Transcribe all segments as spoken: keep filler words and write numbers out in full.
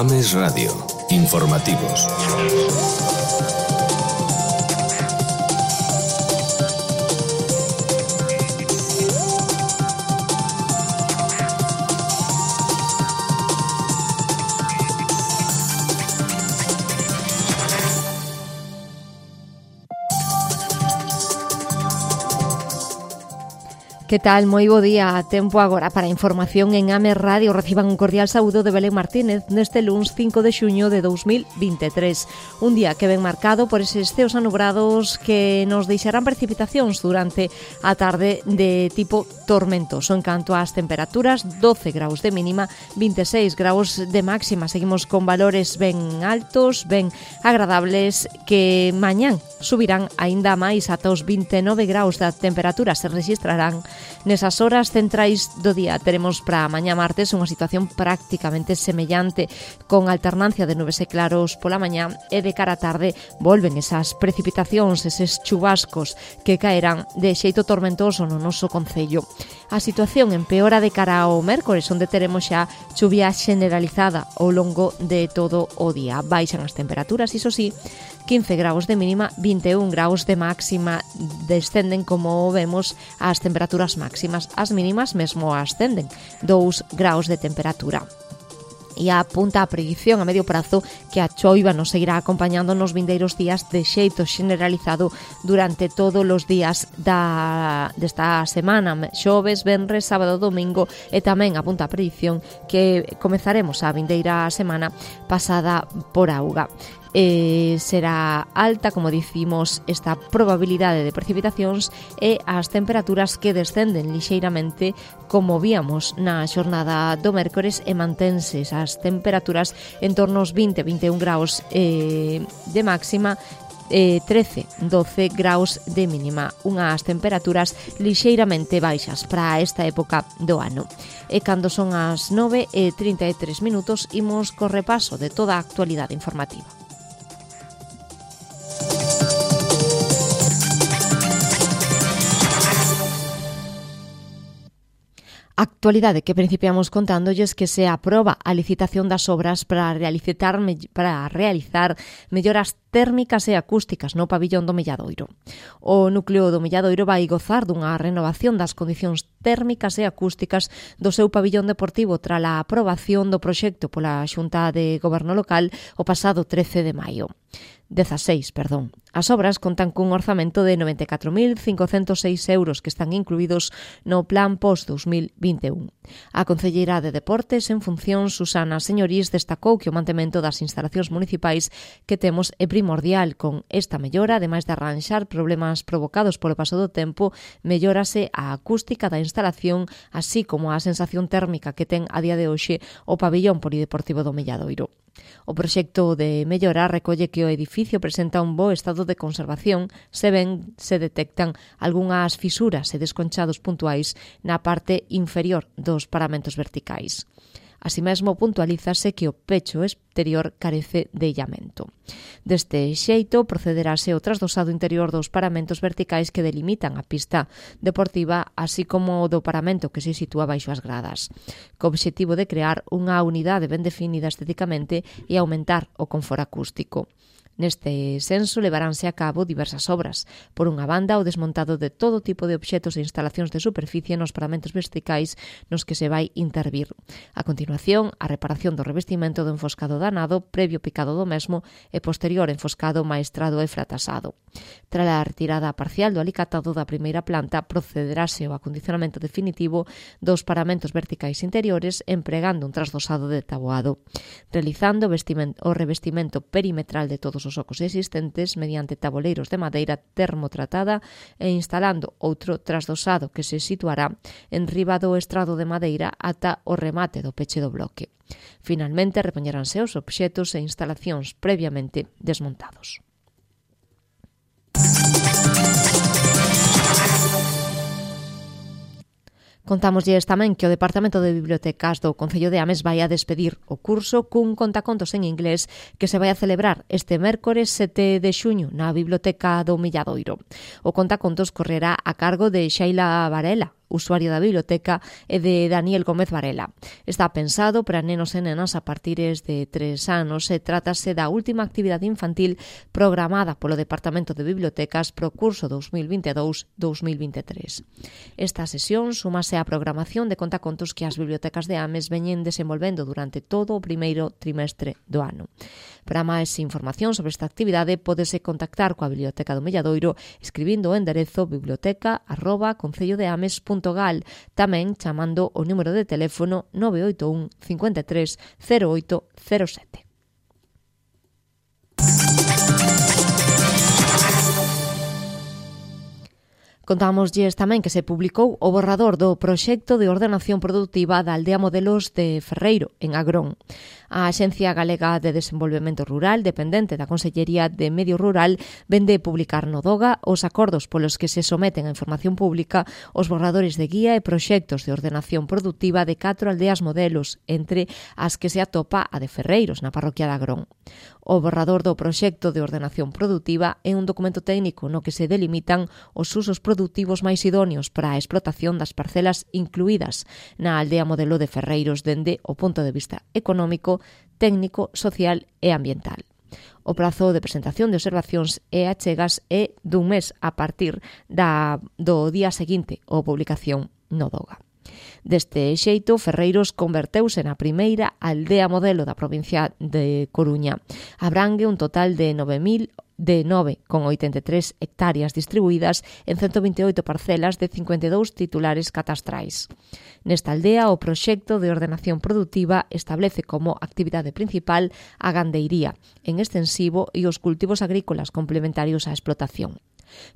Ames Radio. Informativos. Que tal? Moi bo día. Tempo agora para a información en Ames Radio. Reciban un cordial saúdo de Belén Martínez neste luns cinco de xuño de dous mil vinte e tres. Un día que ven marcado por eses ceos anubrados que nos deixarán precipitacións durante a tarde de tipo tormentoso. En canto ás temperaturas, doce graus de mínima, vinte e seis graus de máxima. Seguimos con valores ben altos, ben agradables, que mañán subirán aínda máis ata os vinte e nove graus da temperatura. Se registrarán nesas horas centrais do día. Teremos para mañá martes unha situación prácticamente semellante, con alternancia de nubes e claros pola mañá, e de cara á tarde volven esas precipitacións, eses chubascos que caerán de xeito tormentoso no noso concello. A situación empeora de cara ao mércores, onde teremos xa chuvia generalizada ao longo de todo o día. Baixan as temperaturas, iso sí, quince graus de mínima, vinte e un graus de máxima. Descenden, como vemos, as temperaturas máximas. As mínimas mesmo ascenden, dous graus de temperatura. E apunta a predicción a medio prazo que a choiva nos seguirá acompañando nos vindeiros días de xeito generalizado durante todos os días da, desta semana, xoves, venres, sábado, domingo, e tamén apunta a predicción que comezaremos a vindeira semana pasada por auga. Eh, será alta, como dicimos, esta probabilidade de precipitacións e as temperaturas que descenden lixeiramente, como víamos na xornada do mércores, e mantense as temperaturas en torno aos vinte a vinte e un graus eh, de máxima, eh, trece a doce graus de mínima, unhas temperaturas lixeiramente baixas para esta época do ano. E cando son as nove e trinta e tres minutos, imos co repaso de toda a actualidade informativa. Actualidade que principiamos contándolles que se aproba a licitación das obras para realizar, para realizar melloras térmicas e acústicas no pabillón do Milladoiro. O núcleo do Milladoiro vai gozar dunha renovación das condicións térmicas e acústicas do seu pabillón deportivo tras a aprobación do proxecto pola Xunta de Goberno Local o pasado trece de maio. dezaseis, perdón. As obras contan cun orzamento de noventa e catro mil cincocentos seis euros que están incluídos no Plan Post dous mil vinte e un. A Concelleira de Deportes, en función, Susana Señorís, destacou que o mantemento das instalacións municipais que temos é primordial. Con esta mellora, ademais de arranxar problemas provocados polo paso do tempo, mellórase a acústica da instalación, así como a sensación térmica que ten a día de hoxe o pabillón polideportivo do Milladoiro. O proxecto de mellora recolle que o edificio presenta un bo estado de conservación, se ben se detectan algunhas fisuras e desconchados puntuais na parte inferior dos paramentos verticais. Así mesmo, puntualízase que o pecho exterior carece de illamento. Deste xeito, procederase o trasdosado interior dos paramentos verticais que delimitan a pista deportiva, así como o do paramento que se sitúa baixo as gradas, co obxectivo de crear unha unidade ben definida estéticamente e aumentar o confort acústico. Neste senso, levaránse a cabo diversas obras. Por unha banda, o desmontado de todo tipo de obxetos e instalacións de superficie nos paramentos verticais nos que se vai intervir. A continuación, a reparación do revestimento do enfoscado danado, previo picado do mesmo, e posterior enfoscado maestrado e fratasado. Tras a retirada parcial do alicatado da primeira planta, procederase ao acondicionamento definitivo dos paramentos verticais interiores empregando un trasdosado de taboado, realizando o revestimento perimetral de todos os ocos existentes mediante taboleiros de madeira termotratada e instalando outro trasdosado que se situará en riba do estrado de madeira ata o remate do peche do bloque. Finalmente, repoñeranse os obxetos e instalacións previamente desmontados. Contámoslles tamén que o Departamento de Bibliotecas do Concello de Ames vai a despedir o curso cun contacontos en inglés que se vai a celebrar este mércores sete de xuño na Biblioteca do Milladoiro. O contacontos correrá a cargo de Xaila Varela, usuario da biblioteca, e de Daniel Gómez Varela. Está pensado para nenos e nenas a partires de tres anos e trátase da última actividade infantil programada polo Departamento de Bibliotecas pro curso dous mil vinte e dous dous mil vinte e tres. Esta sesión súmase á programación de contacontos que as bibliotecas de Ames veñen desenvolvendo durante todo o primeiro trimestre do ano. Para máis información sobre esta actividade, pódese contactar coa Biblioteca do Melladoiro escribindo o enderezo biblioteca arroba concellodeames punto gal, tamén chamando o número de teléfono nove oito un cinco tres cero oito cero sete. Contámoslles tamén que se publicou o borrador do proxecto de ordenación produtiva da aldea Modelos de Ferreiro, en Agrón. A Axencia Galega de Desenvolvemento Rural, dependente da Consellería de Medio Rural, vende publicar no DOGA os acordos polos que se someten a información pública os borradores de guía e proxectos de ordenación produtiva de catro aldeas modelos, entre as que se atopa a de Ferreiros, na parroquia de Agrón. O borrador do proxecto de ordenación produtiva é un documento técnico no que se delimitan os usos produtivos máis idóneos para a explotación das parcelas incluídas na aldea modelo de Ferreiros dende o punto de vista económico, técnico, social e ambiental. O prazo de presentación de observacións e achegas é dun mes a partir da, do día seguinte ou publicación no DOGA. Deste xeito, Ferreiros converteuse na primeira aldea modelo da provincia de Coruña. Abrangue un total de nove mil de nove con oitenta e tres hectáreas distribuídas en ciento vinte e oito parcelas de cincuenta e dous titulares catastrais. Nesta aldea, o proxecto de ordenación produtiva establece como actividade principal a gandeiría en extensivo e os cultivos agrícolas complementarios á explotación.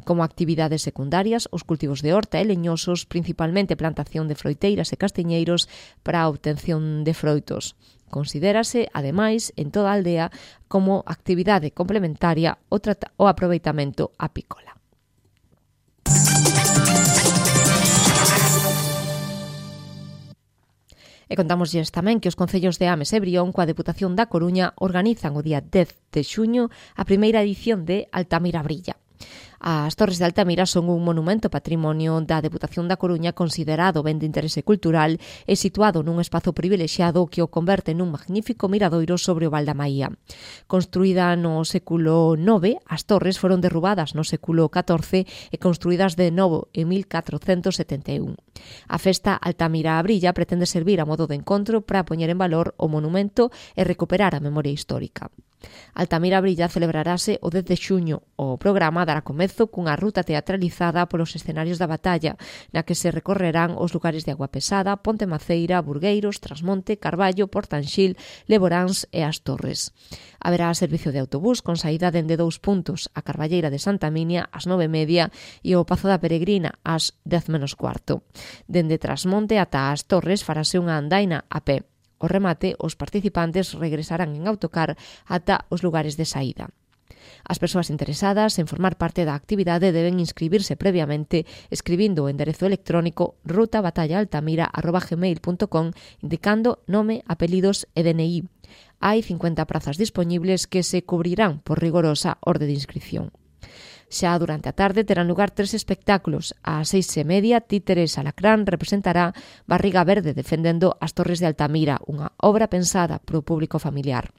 Como actividades secundarias, os cultivos de horta e leñosos, principalmente plantación de froiteiras e castiñeiros para a obtención de froitos. Considérase, ademais, en toda a aldea como actividade complementaria o, trata- o aproveitamento apícola. E contámoslles tamén que os concellos de Ames e Brión coa Deputación da Coruña organizan o día dez de xuño a primeira edición de Altamira Brilla. As Torres de Altamira son un monumento patrimonio da Deputación da Coruña considerado ben de interese cultural e situado nun espazo privilexiado que o converte nun magnífico miradoiro sobre o Val da Maía. Construída no século nove, as torres foron derrubadas no século catorce e construídas de novo en mil catrocentos setenta e un. A festa Altamira Brilla pretende servir a modo de encontro para poñer en valor o monumento e recuperar a memoria histórica. Altamira Brilla celebrarase o dez de xuño. O programa dará comezo cunha ruta teatralizada polos escenarios da batalla, na que se recorrerán os lugares de Agua Pesada, Ponte Maceira, Burgueiros, Trasmonte, Carballo, Portanxil, Leboráns e As Torres. Haberá servicio de autobús con saída dende dous puntos, a Carballeira de Santa Minia ás nove e media e o Pazo da Peregrina ás dez menos cuarto. Dende Trasmonte ata As Torres farase unha andaina a pé. O remate, os participantes regresarán en autocar ata os lugares de saída. As persoas interesadas en formar parte da actividade deben inscribirse previamente escribindo o enderezo electrónico ruta batalla altamira arroba gmail punto com indicando nome, apelidos e D N I. Hai cincuenta prazas dispoñibles que se cubrirán por rigorosa orde de inscripción. Xa durante a tarde terán lugar tres espectáculos. Ás seis e media, Títeres Alacrán representará Barriga Verde defendendo as Torres de Altamira, unha obra pensada para o público familiar.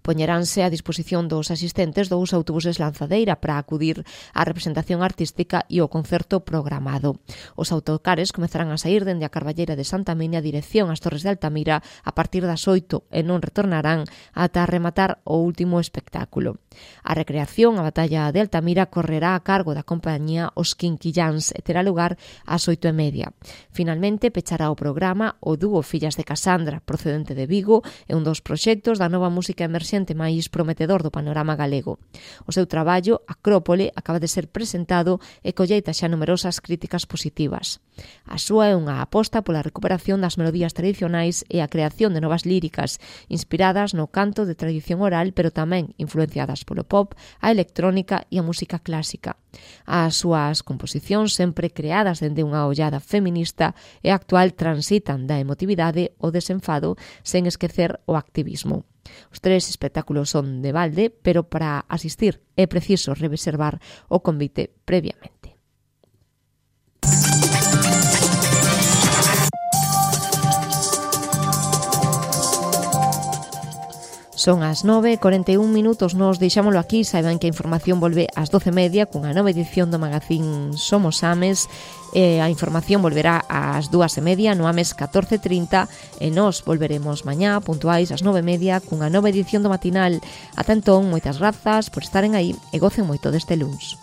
Poñeránse a disposición dos asistentes dous autobuses lanzadeira para acudir á representación artística e o concerto programado. Os autocares comezarán a saír dende a Carballeira de Santa Minia dirección ás Torres de Altamira a partir das oito e non retornarán ata rematar o último espectáculo. A recreación, a batalla de Altamira, correrá a cargo da compañía Os Quinquillans e terá lugar ás oito e media. Finalmente, pechará o programa o dúo Fillas de Casandra, procedente de Vigo, e un dos proxectos da nova música emerxente máis prometedor do panorama galego. O seu traballo, Acrópole, acaba de ser presentado e colleita xa numerosas críticas positivas. A súa é unha aposta pola recuperación das melodías tradicionais e a creación de novas líricas, inspiradas no canto de tradición oral, pero tamén influenciadas polo pop, a electrónica e a música clásica. As súas composicións, sempre creadas dende unha ollada feminista e actual, transitan da emotividade ao desenfado sen esquecer o activismo. Os tres espectáculos son de balde, pero para asistir é preciso reservar o convite previamente. Son as nove e corenta e un minutos, nos deixámoslo aquí. Saiban que a información volve ás doce e media cunha nova edición do magazín Somos Ames. E a información volverá ás dúas e media no Ames catorce e trinta e nos volveremos mañá puntuais ás nove e media cunha nova edición do matinal. Ata entón, moitas grazas por estaren aí e gocen moito deste luns.